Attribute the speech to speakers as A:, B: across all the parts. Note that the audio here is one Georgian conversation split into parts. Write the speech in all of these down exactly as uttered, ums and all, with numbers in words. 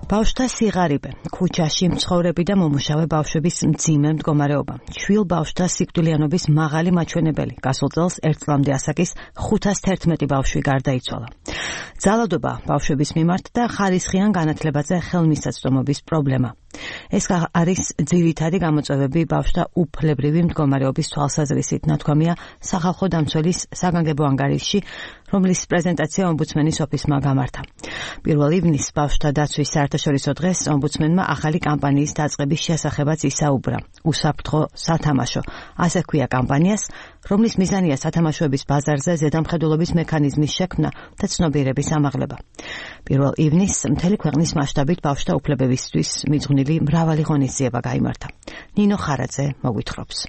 A: ბავშვთა სიღარიბე, ქუჩაში მცხოვრები და მომუშავე ბავშვების მძიმე მდგომარეობა, შვილ ბავშვთა სიკვდილიანობის მაღალი მაჩვენებელი. გასულ წელს ერთ წლამდე ასაკის ხუთას თერთმეტი ბავშვი გარდაიცვალა. ძალადობა ბავშვების მიმართ და ხარისხიან განათლებაზე ხელმისაწვდომობის პრობლემა. ეს არის ძირითადი გამოწვევები ბავშვთა უფლებრივი მდგომარეობის თვალსაზრისით, ნათქვამია სახალხო დამცველის საგანგებო ანგარიშში, რომლის პრეზენტაცია ომბუდსმენის ოფისმა გამართა. პირველ ივნისს ბავშვთა დაცვის საერთაშორისო დღეს ომბუდსმენმა ახალი კამპანიის დაწყების შესახებაც ისაუბრა. უსაფრთხო სათამაშო. ასე ჰქვია კამპანიას, რომლის მიზანია სათამაშოების ბაზარზე ზედამხედველობის მექანიზმის შექმნა და ცნობიერების ამაღლება. პირველ ივნისს მთელი ქვეყნის მასშტაბით ბავშვთა უფლებებისთვის მიძღვნილი მრავალი ღონისძიება გაიმართა. ნინო ხარაძე მოგვითხრობს.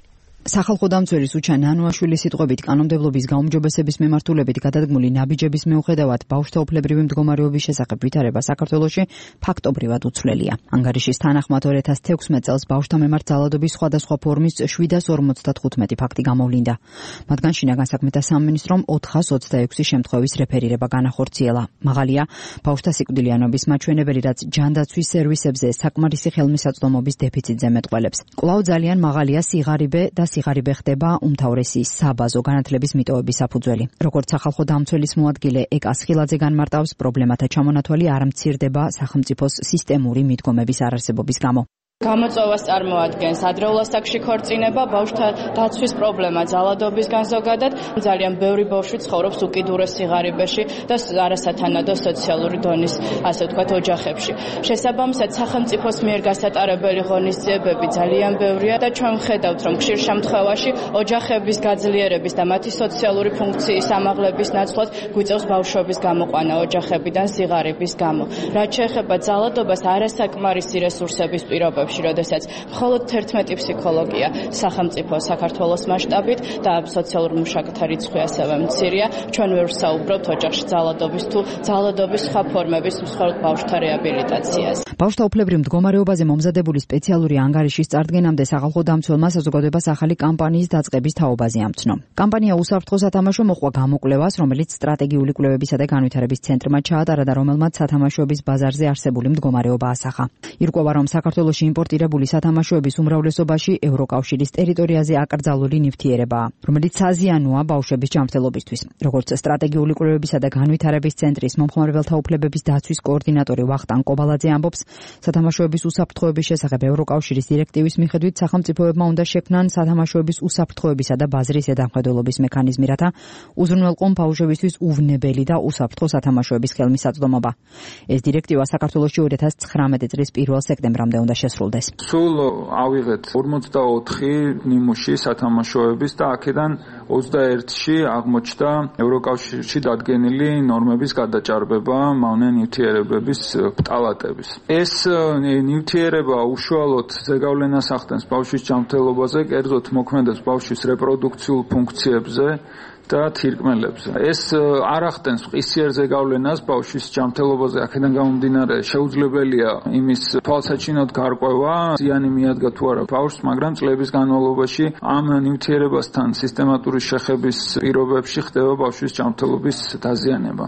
B: სახალხო დამცველის უჩა ნანუაშვილის სიტყვებით კანონმდებლობის გაუმჯობესების მიმართულებით გადადგმული ნაბიჯების მიუხედავად ბავშვთა უფლებრივი მდგომარეობის შესახებ ვითარება საქართველოში ფაქტობრივად უცვლელია. ანგარიშის თანახმად ორ ათას თექვსმეტ წელს ბავშვთა მიმართ ძალადობის სხვადასხვა ფორმის შვიდას ორმოცდათხუთმეტი ფაქტი გამოვლინდა. მათგან შინაგან საქმეთა სამინისტრომ ოთხას ოცდაექვსი შემთხვევის რეფერირება განახორციელა. მაღალია ბავშვთა სიკვდილიანობის მაჩვენებელი, რაც ჯანდაცვის სერვისებზე საკმარისი ხელმისაწვდომობის დეფიციტზე მეტყველებს. კვლავ ძალიან მაღალია სიღარიბე და სიღარიბე ხდება უმთავრესი საბაზო განათლების მიტოვების საფუძველი. როგორც სახალხო დამცველის მოადგილე ეკა სხილაძე განმარტავს, პრობლემათა ჩამონათვალი არ მცირდება სახელმწიფოს სისტემური მიდგომების არარსებობის გამო.
C: გამოწვევას წარმოადგენს ადრეულ ასაკში ქორწინება, ბავშვთა დაცვის პრობლემა ძალადობისგან ზოგადად, ძალიან ბევრი ბავშვი ცხოვრობს უკიდურეს სიღარიბეში და არასათანადო სოციალური დონის, ასე ვთქვათ, ოჯახებში. შესაბამისად, სახელმწიფოს მიერ გასატარებელი ღონისძიებები ძალიან ბევრია და ჩვენ ვხედავთ, რომ ხშირ შემთხვევაში ოჯახების გაძლიერების და მათი სოციალური ფუნქციის ამაღლების ნაცვლად გვიწევს ბავშვების გამოყვანა ოჯახებიდან სიღარიბის გამო. რაც შეეხება ძალადობას, არასაკმარისი რესურსების პირობებში, როდესაც მხოლოდ თერთმეტი ფსიქოლოგია სახელმწიფო საქართველოს მასშტაბით და სოციალურ მუშაკთა რიცხვი ასევე მცირეა, ჩვენ ვერ ვსაუბრობთ ოჯახში ძალადობის თუ ძალადობის სხვა ფორმების მხოლოდ ბავშვთა რეაბილიტაციას.
B: ბავშვთა უფლებრივ მდგომარეობაზე მომზადებული სპეციალური ანგარიშის წარდგენამდე სახალხო დამცველმა საზოგადოებას ახალი კამპანიის დაწყების თაობაზე ამცნო. კამპანია უსაფრთხო სათამაშო მოყვა გამოკვლევას, რომელიც სტრატეგიული კვლევებისა და განვითარების ცენტრმა ჩაატარა და რომელმაც სათამაშოების ბაზარზე არსებული მდგომარეობა ასახა. ირკვევა, რომ საქართველოში იმპორტირებული სათამაშოების უმრავლესობაში ევროკავშირის ტერიტორიაზე აკრძალული ნივთიერებაა, რომელიც საზიანოა ბავშვების ჯანმრთელობისთვის. როგორც სტრატეგიული კვლევებისა და განვითარების ცენტრის მომხმარებელთა უფლებების დაცვის კოორდინატორი ვახტანგ კობალაძე ამბობს, სათამაშოების უსაფრთხოების შესახებ ევროკავშირის დირექტივის მიხედვით სახელმწიფოებმა უნდა შექმნან სათამაშოების უსაფრთხოებისა და ბაზრის ზედამხედველობის მექანიზმი, რათა უზრუნველყონ ბავშვებისთვის უვნებელი და უსაფრთხო სათამაშოების ხელმისაწვდომობა. ეს დირექტივა საქართველოში ორი ათას ცხრამეტი წლის პირველ სექტემბრამდე უნდა შესრულდეს.
D: სულ ავიღეთ ორმოცდაოთხი ნიმუში სათამაშოების და აქედან ოცდაერთში აღმოჩნდა ევროკავშირში დადგენილი ნორმების გადაჭარბება მავნე ნივთიერებების პტალატების. ეს ნივთიერება უშუალოდ ზეგავლენას ახდენს ბავშვის ჯანმრთელობაზე, კერძოდ მოქმედებს ბავშვის რეპროდუქციულ ფუნქციებზე და თირკმელებზე. ეს არ ახდენს მყისიერ ზეგავლენას ბავშვის ჯანმრთელობაზე, აქედან გამომდინარე შეუძლებელია იმის თვალსაჩინოდ გარკვევა, ზიანი მიადგა თუ არა ბავშვს, მაგრამ წლების განმავლობაში ამ ნივთიერებასთან სისტემატური შეხების პირობებში ხდება ბავშვის ჯანმრთელობის დაზიანება.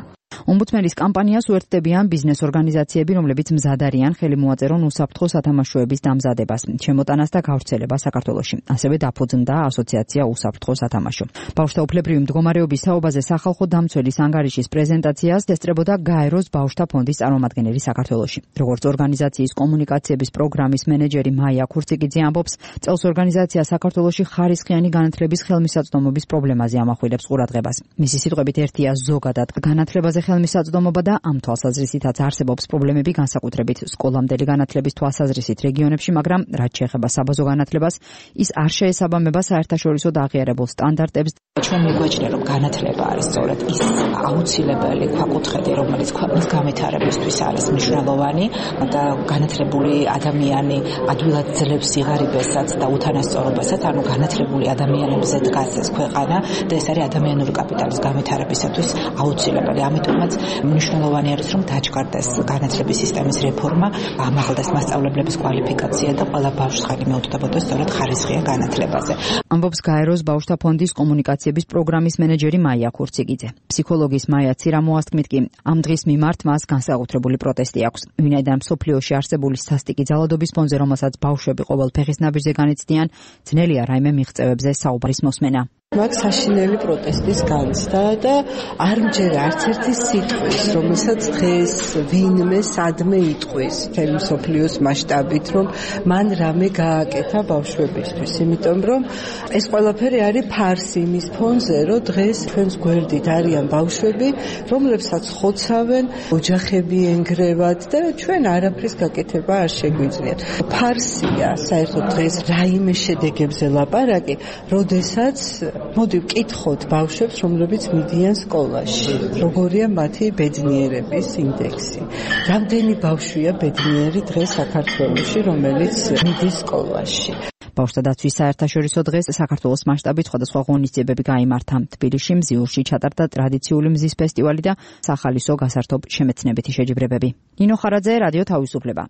B: ომბუდსმენის კამპანიას უერთდებიან ბიზნეს ორგანიზაციები, რომლებიც მზად არიან ხელი მოაწერონ უსაფრთხო სათამაშოების დამზადებას, შემოტანას და გავრცელებას საქართველოში. ასევე დაფუძნდა ასოციაცია უსაფრთხო სათამაშო. ბავშვთა უფლებრივი მდგომარეობის თაობაზე სახალხო დამცველის ანგარიშის პრეზენტაციას ესწრებოდა გაეროს ბავშვთა ფონდის წარმომადგენელი საქართველოში. როგორც ორგანიზაციის კომუნიკაციების პროგრამის მენეჯერი მაია ქურციკიძე ამბობს, წელს ორგანიზაცია საქართველოში ხარისხიანი განათლების ხელმისაწვდომობის პრობლემაზე ამახვილებს ყურადღებას. მისი სიტყვებით ერთია ზოგადად განათლებაზე ხელმისაწვდომობა და ამ თვალსაზრისითაც არსებობს პრობლემები განსაკუთრებით სკოლამდელი განათლების თვალსაზრისით რეგიონებში, მაგრამ რაც შეეხება საბაზო განათლებას, ის არ შეესაბამება საერთაშორისო და აღიარებულ სტანდარტებს.
E: ჩვენ მიგვაჩნია, რომ განათლება არის სწორედ ის აუცილებელი ქვაკუთხედი, რომელიც ქვეყნის განვითარებისთვის არის მნიშვნელოვანი და განათლებული ადამიანი ადვილად ძლებს სიღარიბესაც და უთანასწორობასაც, ანუ განათლებული ადამიანებზე დგას ეს ქვეყანა და ეს არის ადამიანური კაპიტალის განვითარებისათვის აუცილებელი. ამიტომ რამაც მნიშვნელოვანი არის, რომ დაჯგარდეს განათლების სისტემის რეფორმა, ამაღლდეს მასწავლებლების კვალიფიკაცია და ყველა ბავშვს ხელი მეუწყდებოდეს სწორედ ხარისხიან განათლებაზე.
B: ამბობს გაეროს ბავშვთა ფონდის კომუნიკაციების პროგრამის მენეჯერი მაია ქურციგიძე. ფსიქოლოგის მაია ცირამოასკმით კი ამ დღის მიმართ მას განსაკუთრებული პროტესტი აქვს. ვინაიდან მსოფლიოში არსებული სასტიკი ძალადობის ფონზე, რომელსაც ბავშვები ყოველ ფეხის ნაბიჯზე განიცდიან, ძნელია რაიმე მიღწევებზე საუბრის მოსმენა.
F: Მაგ საშინელი პროტესტის განცდა და არ მჯერა არც ერთი სიტყვის, რომელსაც დღეს ვინმე სადმე იტყვის მთელი მსოფლიოს მასშტაბით, რომ მან რამე გააკეთა ბავშვებისთვის, იმიტომ რომ ეს ყველაფერი არის ფარსი იმის ფონზე, რომ დღეს ჩვენს გვერდით არიან ბავშვები, რომლებსაც ხოცავენ, ოჯახები ენგრევათ და ჩვენ არაფრის გაკეთება არ შეგვიძლიათ. ფარსია საერთოდ დღეს რაიმე შედეგებზე ლაპარაკი, როდესაც მოდი ვკითხოთ ბავშვებს, რომლებიც მიდიან სკოლაში. როგორია მათი ბედნიერების ინდექსი? რამდენი ბავშვია ბედნიერი დღეს საქართველოში, რომელიც მიდის სკოლაში?
B: ბავშვთა დაცვის საერთაშორისო დღეს საქართველოს მასშტაბით სხვადასხვა ღონისძიებები გაიმართა. თბილისში მზიურში ჩატარდა ტრადიციული მზის ფესტივალი და სახალისო გასართობ შემეცნებითი შეჯიბრებები. ნინო ხარაძე, რადიო თავისუფლება.